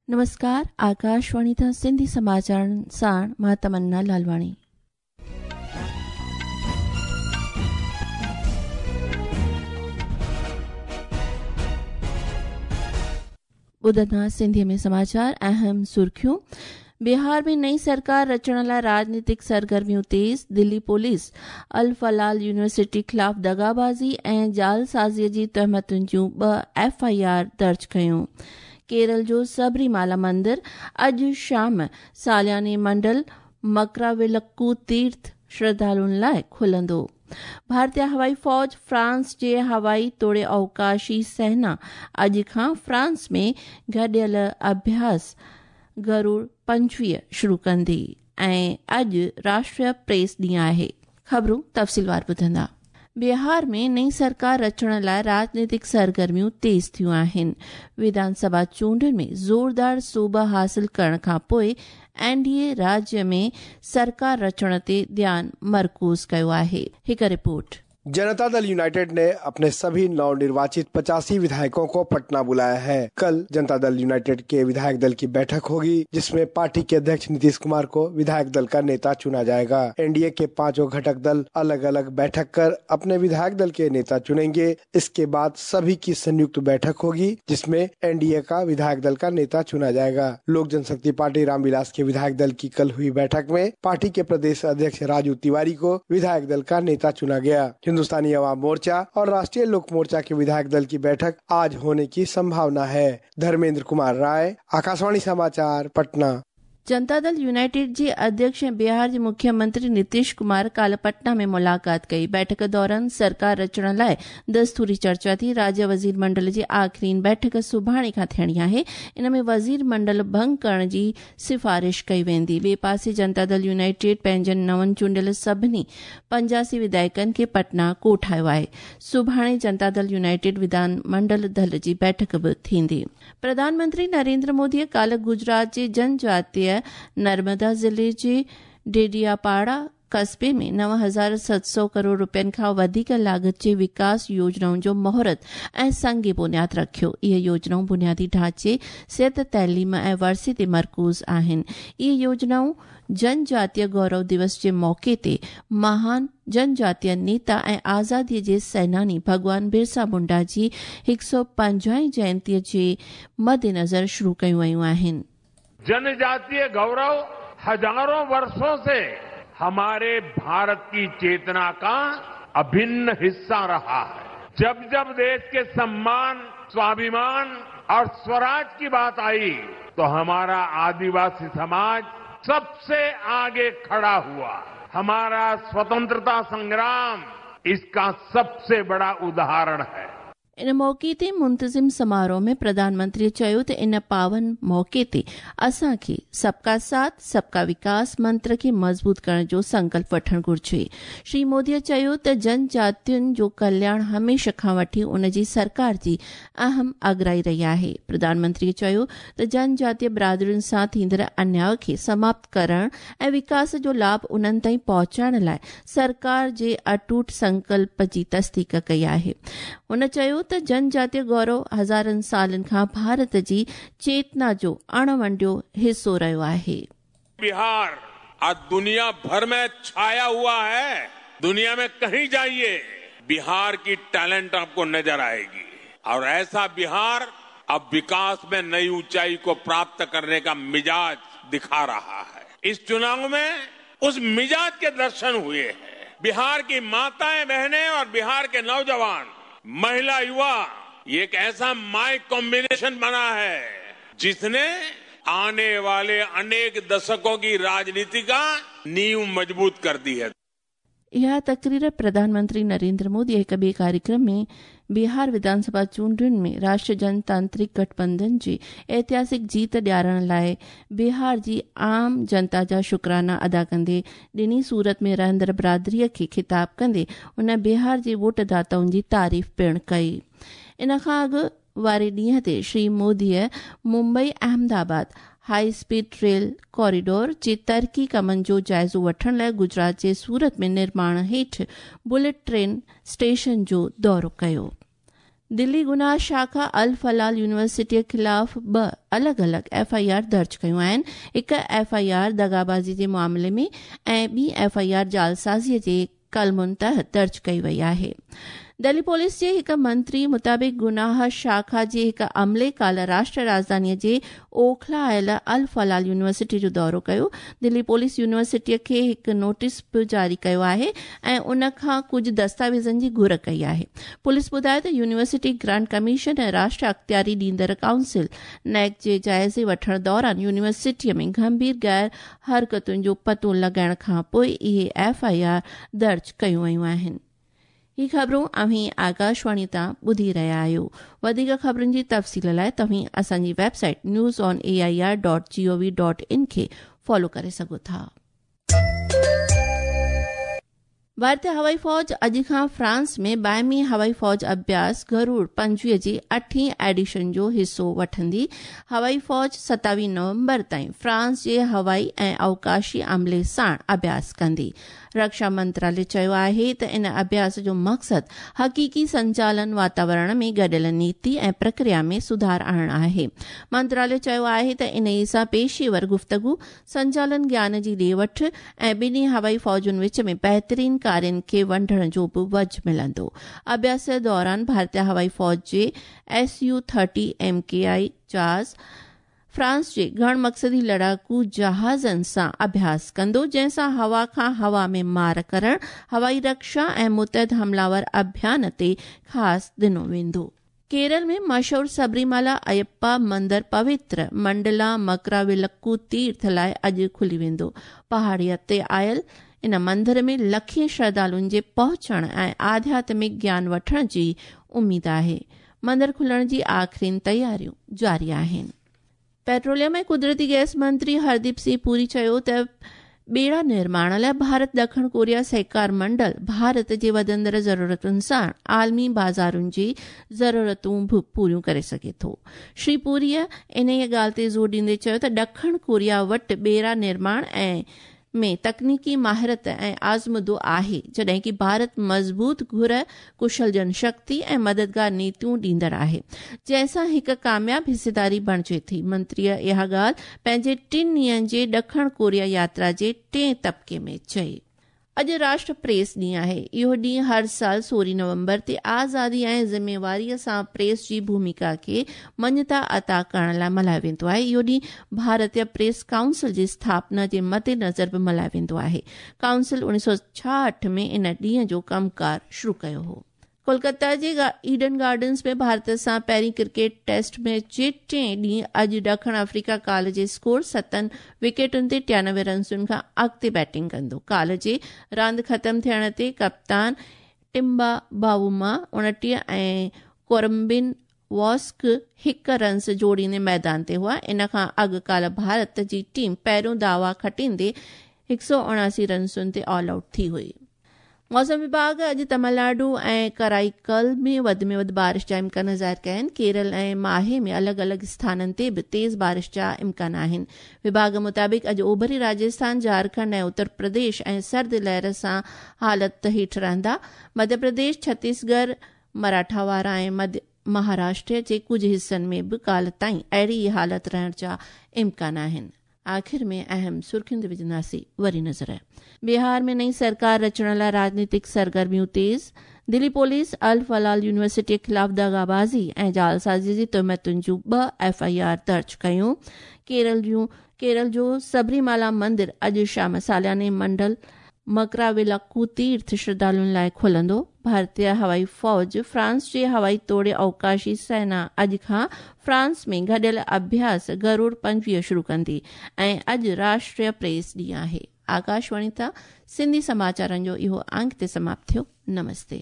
नमस्कार, आकाशवाणी तां सिंधी समाचारनि साण मां तमन्ना लालवाणी। ॿुधंदा सिंधीअ में समाचार। अहम सुर्खियूं। बिहार में नई सरकार रचण लाइ राजनीतिक सरगर्मियूं तेज़। दिल्ली पुलिस अल-फलाह यूनिवर्सिटी ख़िलाफ़ दगाबाज़ी ऐं जालसाज़ीअ जी तहमतुनि जूं 2 FIR दर्ज कयूं। केरल जो सबरीमाला मंदिर अॼु शाम सालियाने मंडल मकराविलक्कू तीर्थ श्रद्धालुनि लाइ खुलंदो। भारतीय हवाई फ़ौज फ्रांस जे हवाई तोड़े अवकाशी सेना अॼु खां फ्रांस में गॾियल अभ्यास गरुड़ 25 शुरू कंदी ऐं अॼु राष्ट्रीय प्रेस ॾींहुं आहे। ख़बरूं तफ़सीलवार ॿुधंदा। बिहार में नई सरकार रचण लाइ राजनीतिक सरगर्मियूं तेज़ थियूं आहिनि। विधानसभा चूंडुनि में ज़ोरदार सूब हासिल करण खां पोइ NDA राज्य में सरकार रचण ते ध्यानु मरकूज़ कयो आहे। हिकु रिपोर्ट। जनता दल यूनाइटेड ने अपने सभी नवनिर्वाचित 85 विधायकों को पटना बुलाया है। कल जनता दल यूनाइटेड के विधायक दल की बैठक होगी, जिसमें पार्टी के अध्यक्ष नीतीश कुमार को विधायक दल का नेता चुना जाएगा। एनडीए के 5 घटक दल अलग अलग बैठक कर अपने विधायक दल के नेता चुनेंगे। इसके बाद सभी की संयुक्त बैठक होगी, जिसमें एनडीए का विधायक दल का नेता चुना जाएगा। लोक जनशक्ति पार्टी रामविलास के विधायक दल की कल हुई बैठक में पार्टी के प्रदेश अध्यक्ष राजू तिवारी को विधायक दल का नेता चुना गया। हिंदुस्तानी अवाम मोर्चा और राष्ट्रीय लोक मोर्चा के विधायक दल की बैठक आज होने की संभावना है। धर्मेंद्र कुमार राय, आकाशवाणी समाचार, पटना। जनता दल यूनाइटेड जे अध्यक्ष ऐं बिहार जे मुख्यमंत्री नीतीश कुमार काल्ह पटना में मुलाक़ात कई। बैठक दौरान सरकार रचण लाइ दस्तूरी चर्चा थी। राज्य वज़ीर मंडल जी आख़िरीन बैठक सुभाणे खां थियणी आहे। इन में वज़ीर मंडल भंग करण जी सिफारिश कई वेंदी। ॿिए पासे जनता दल यूनाइटेड पंहिंजनि नवनि चूंडियल सभिनी 85 विधायकनि खे पटना कोठायो आहे। सुभाणे जनता दल यूनाइटेड विधान मंडल दल जी बैठक बि थींदी। प्रधानमंत्री नरेंद्र मोदीअ काल्ह गुजरात जे जनजातीय नर्मदा ज़िले जे डेडियापाड़ा कस्बे में 9,700 करोड़ रुपयनि खां वधीक लागत जे विकास योजनाउनि जो मुहूर्त ऐं संग बुनियाद रखियो। इहे योजनाऊं बुनियादी ढांचे, सिहत, तइलीम ऐं वरसे ते मरकूज़ आहिनि। इहे योजनाऊं जनजातीय गौरव दिवस जे मौक़े ते महान जनजातीय नेता ऐं आज़ादीअ जे सैनानी भॻवान बिरसा मुंडा जी 150वीं जयंतीअ जे मद्देनज़र शुरू कयूं वयूं आहिनि। जनजातीय गौरव हजारों वर्षों से हमारे भारत की चेतना का अभिन्न हिस्सा रहा है। जब जब देश के सम्मान, स्वाभिमान और स्वराज की बात आई तो हमारा आदिवासी समाज सबसे आगे खड़ा हुआ। हमारा स्वतंत्रता संग्राम इसका सबसे बड़ा उदाहरण है। इन मौक़े ते मुंतज़िम समारोह में प्रधानमंत्री चयो त इन पावन मौक़े ते असांखे सबका साथ सबका विकास मंत्र खे मज़बूत करण जो संकल्प वठणु घुरिजे। श्री मोदीअ चयो त जनजातियुनि जो कल्याण हमेशह खां वठी उन जी सरकार जी अहम अगराई रही आहे। प्रधानमंत्री चयो त जनजातीय बिरादरियुनि सां थींदड़ अन्याय खे समाप्त करण ऐं विकास जो लाभ उन्हनि ताईं पहुचाइण लाइ सरकार जे अटूट संकल्प जी तस्दीक कई आहे। हुन चयो त जनजातीय गौरव हज़ारनि सालनि खां भारत जी चेतना जो अणवंडियो हिस्सो रहियो आहे। बिहार आज दुनिया भर में छाया हुआ है। दुनिया में कहीं जाइए बिहार की टैलेंट आपको नजर आएगी और ऐसा बिहार अब विकास में नई ऊंचाई को प्राप्त करने का मिजाज दिखा रहा है। इस चुनाव में उस मिजाज के दर्शन हुए हैं। बिहार की माताएं, बहनें और बिहार के नौजवान, महिला, युवा, ये एक ऐसा माइक कॉम्बिनेशन बना है जिसने आने वाले अनेक दशकों की राजनीति का नींव मजबूत कर दी है। इहा तकरीर प्रधानमंत्री नरेंद्र मोदी हिक ॿिए कार्यक्रम में बिहार विधानसभा चूंडुनि में राष्ट्रीय जनतांत्रिक गठबंधन जी ऐतिहासिक जीत ॾियारण लाइ बिहार जी आम जनता जा शुक्राना अदा कंदे ॾिनी। सूरत में रहंदड़ बिरादरीअ खे ख़िताब कंदे उन बिहार जे वोटदाताउनि जी तारीफ़ पिणु कई। इन खां अॻु वारे ॾींहं ते श्री मोदीअ Mumbai Ahmedabad high speed rail corridor जे तरक़ी कमनि जो जाइज़ो वठण लाइ गुजरात जे सूरत में निर्माण हेठि बुलेट ट्रेन स्टेशन जो दौरो कयो। دلي گناهه شاخا الفلاح يونيورسٽيء خلاف ٻه الڳ الڳ ايف I R درج ڪيون آهن. هڪ ايف I R دغابازي جي معاملي ۾ ۽ ٻي ايف I R جعلسازي جي قلمن تحت درج ڪئي وئي آهي. دلي پوليس جي هڪ منتري مطابق گناهه شاخا جي هڪ عملي ڪالهه راشٽر راڄڌاني جي اوکلا آيل الفلاح يونيورسٽي جو دورو ڪيو. دلي پوليس يونيورسٽي کي هڪ نوٽيس به جاري ڪيو آهي ۽ ان کان ڪجهه دستاويزن جي گهر ڪئي آهي. پوليس ٻڌايو ته يونيورسٽي گرانٽ ڪميشن ۽ راشٽر اختياري ڏيندڙ ڪائونسل نيڪ جي جائزي وٺڻ دوران يونيورسٽي ۾ گنڀير غير حرڪتن جو پتو لڳائڻ کانپوء اهي ايف I R درج ڪيون ويون آهن. هي خبرون اوهين آڪاشواڻي تان ٻڌي رهيا آهيو. وڌيڪ خبرن جي تفصيل لاء توهين اسان جي website news on A I R dot G O V dot in کي فالو ڪري سگهو ٿا. ڀارتي هوائي فوج اڄ کان فرانس ۾ باهمي هوائي فوج اڀياس گرور 25 جي اٺين ايڊيشن جو حصو وٺندي. هوائي فوج 27 نومبر تائين فرانس جي هوائي ۽ اوڪاشي عملي ساڻ اڀياس ڪندي. رڪشا منترالي چيو آهي ته ان اڀياس جو مقصد حقيقي سنچالن واتاورڻ ۾ گڏيل نيتي ۽ پرڪريا ۾ سڌار آڻڻ آهي. منترالي چيو آهي ته انهي سان پيشيور گفتگو، سنچالن گيان جي ڏي وٺ ۽ ٻنهي هوائي فوجن وچ ۾ بهترين ڪارين کي ونڊڻ جو به وجهه ملندو. اڀياس دوران ڀارتي هوائي فوج جي S U thirty M K I جهاز فرانس جي گهڻ مقصدي لڙاڪو جهازن سان اڀياس ڪندو، جنهن سان هوا کان هوا ۾ مار ڪرڻ، هوائي رڪشا ۽ متحد حمله آور اڀيان تي خاص ڏنو ويندو. ڪيرل ۾ مشهور سبريمالا ايپا مندر پوتر منڊلا مڪراولڪو تيرٿ لاء اڄ کلي ويندو. پهاڙيء تي آيل ان مندر ۾ لکين شرڌالن جي پهچڻ ۽ آڌياتمڪ گيان وٺڻ جي اميد آهي. مندر کلڻ جي آخرين تياريون جاري آهن. پيٽروليم ۽ قدرتي گئس منتري هرديپ سنگهه پوري چيو ته ٻيڙا نرماڻ لاء ڀارت ڏکڻ ڪوريا سهڪار منڊل ڀارت جي وڌندڙ ضرورتن سان عالمي بازارن جي ضرورتون به پوريون ڪري سگهي ٿو. شري پوريء انهيء ڳالهه تي زور ڏيندي چيو ته ڏکڻ ڪوريا وٽ ٻيڙا نرماڻ ۽ ۾ تڪنيڪي ماهرت ۽ آزمودو آهي، جڏهن ڪي ڀارت مضبوط گهر، ڪشل جن شڪتي ۽ مددگار نيتيون ڏيندڙ آهي، جنهن سان هڪ ڪامياب حصيداري بڻجي ٿي. منتريء اها ڳالهه پنهنجي ٽن ڏينهن جي ڏکڻ ڪوريا ياترا جي ٽئين طبقي ۾ چئي. اڄ راشٽر پريس ڏينهن آهي. اهو ڏينهن هر سال 16 نومبر تي آزادي ۽ ذميواريء سان پريس جي ڀوميڪا کي مڃتا عطا ڪرڻ لاء ملهايو ويندو آهي. اهو ڏينهن ڀارتي پريس ڪائونسل جي اسٿاپنا جي مدنظر به ملهايو ويندو آهي. ڪائونسل 1966 ۾ ان ڏينهن جو ڪم ڪار شروع ڪيو هو. ڪولڪتا جي ايڊن گارڊنز ۾ ڀارت سان پهرين ڪرڪيٽ ٽيسٽ ميچ جي ٽئين ڏينهن اڄ ڏکڻ آفريڪا ڪالهه جي اسڪور ستن وڪيٽن تي 93 رنسن کان اڳتي بيٽنگ ڪندو. ڪالهه جي راند ختم ٿيڻ تي ڪپتان ٽمبا باووما 29 ۽ ڪورمبن واسڪ هڪ رنس جوڙيندي ميدان تي هئا. ان کان اڳ ڪالهه ڀارت جي ٽيم پهريون دعويٰ کٽيندي 179 رنسن تي آل آئوٽ ٿي هئي. موسم وڀاڳ اڄ تمل ناڊو ۽ ڪرائيڪل ۾ وڌ ۾ وڌ بارش جا امڪان ظاهر ڪيا آهن. ڪيرل ۽ ماهي ۾ الڳ الڳ اسٿانن تي به تيز بارش جا امڪان آهن. وڀاڳ مطابق اڄ اوڀري راجسٿان، جهارکنڊ ۽ اتر پرديش ۽ سرد لهر سان حالت هيٺ رهندا. مڌيه پرديش، ڇتيس ڳڙهه، مراٺاوارا ۽ مڌيه مهاراشٽر جي ڪجهه حصن ۾ به ڪالهه تائين اهڙي ئي حالت رهڻ جا امڪان آهن. آخر ۾ اهم سرخين تي وجهنداسين وري نظر. بهار ۾ نئين سرڪار رچڻ لاء راڄنيتڪ سرگرميون تيز، دلي پوليس الفلاح يونيورسٽي خلاف دغابازي ۽ جعلسازي جي تهمتن جون ٻه ايف I R درج ڪيون. ڪيرل جو سبريمالا مندر اڄ شام سالياني منڊل مڪراولاڪو تيرٿ شرڌالن لاء کلندو. ڀارتي هوائي فوج فرانس جي هوائي توڙي اوڪاشي سينا اڄ کان فرانس ۾ گڏيل اڀياس گرور 25 شروع ڪندي ۽ اڄ راشٽريه پريس ڏينهن آهي. آڪاشواڻي تان سنڌي سماچارن جو اهو انگ هتي سماپت ٿيو. نمستي.